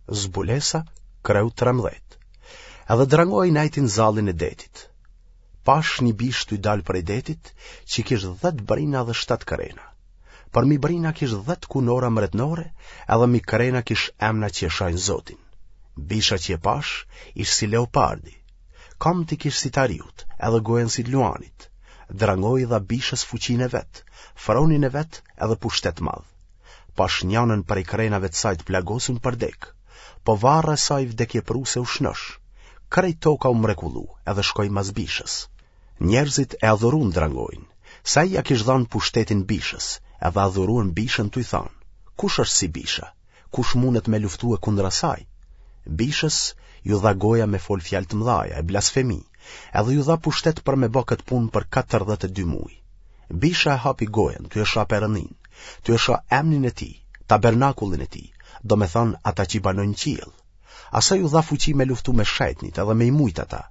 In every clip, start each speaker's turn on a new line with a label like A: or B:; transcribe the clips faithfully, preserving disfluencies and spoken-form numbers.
A: Zbulesa, kreu trembëdhjetë. Edhe drangoi nejti n'zallin e detit. Pash një bishë tuj dalë prej detit, që kish dhetë brina dhe shtatë krena. Përmi brina kish dhetë kunora mretnore, edhe mi krena kish emna që e shajnë Zotin. Bisha që e pash, ish si leopardi. Kamët i kish si t'ariut, edhe gojën si t'luanit. Drangoi i dha bishës fuqinë e vet, fronin e vet edhe pushtet madh. Pash njanën prej krenave të saj të plagosun për dekë, po varra e saj vdekjepruse u shnosh. Krejt toka u mrekullu edhe shkoi mas bishës. Njerëzit e adhuruan drangoin, se ai ia kish dhanë pushtetin bishës, edhe adhuruan bishën tuj thanë, Kush është si bisha? Kush mundet me luftue kundra saj? Bishës ju dha goja me fol fjalë të mëdhaja e blasfemi, edhe ju dha pushtet për me ba këtë punë për katërdhjetë e dy muaj. Bisha e hapi gojën, tuj e sha Perëndinë, tuj e sha emnin e tij, tabernakullin e tij, domethanë ata që banojnë në qiell. Asaj ju dha fuqi me luftu me shejtnit edhe me i mujt ata.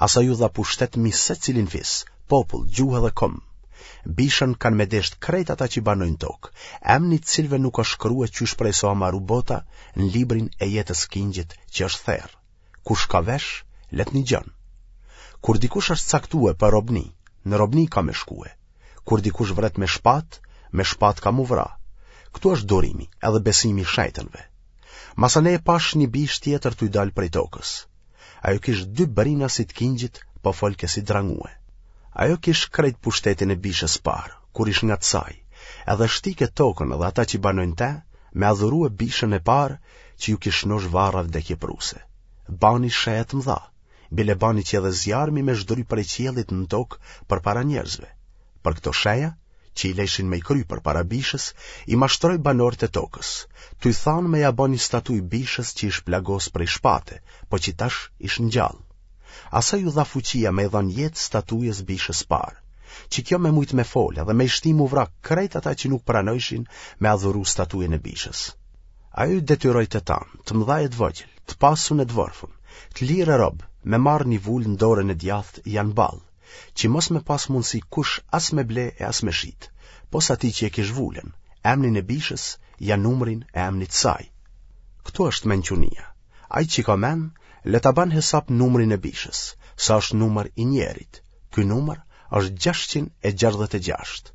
A: Asaj ju dha pushtet mi secilin fis, popull, gjuhë edhe komb. Bishën kanë me desht krejt ata që banojnë tokë, emni të cilëve nuk është shkrue qysh prej sa maru bota në librin e jetës kingjit që është therë. Kush ka vesh, le të nigjon. Kur dikush është caktue për robni, në robni ka me shkue. Kur dikush vret me shpatë, me shpatë ka mu vra. Këtu është durimi edhe besimi i shejtënve. Masanej e pash një bishë tjetër tuj dalë prej tokës. Ajo kish dy brina si të kingjit, po folke si drangue. Ajo kish krejt pushtetin e bishës parë, kur ish ngat saj, edhe shtike tokën edhe ata që banojnë te, me adhurue bishën e parë që ju kish shnosh varra vdekjepruse. Bani sheja të mëdha, bile bani që edhe zjarmi me zhdry prej qiellit në tokë përpara njerëzve. Për këto sheja, që i lejshin me i kry përpara bishës, i mashtroi banorët e tokës, tuj thanë me ja ba një statujë bishës që ish plagos prej shpate, po që tash ish ngjallë. Asaj ju dha fuqia me i dhanë jetë statujës bishës parë, që kjo me mujtë me folë dhe me i shti mu vra krejt ata që nuk pranojshin me adhuru statujën e bishës. Ajo i detyroi të tanë, të mëdhaj e të vogjël, të pasun e të vorfun, të lirë e rob, me marrë një vulë në dorën e djathtë ja në ballë, që mos me pas mundësi kush as me ble e as me shit, pos atij që e kish vulën, emnin e bishës, ja numrin e emnit saj. Këtu është mençunia. Ai që ka men, le ta ban hesap numrin e bishës, sa është numër i njerit. Ky numër është gjashtëqind e gjashtëdhjetë e gjashtë.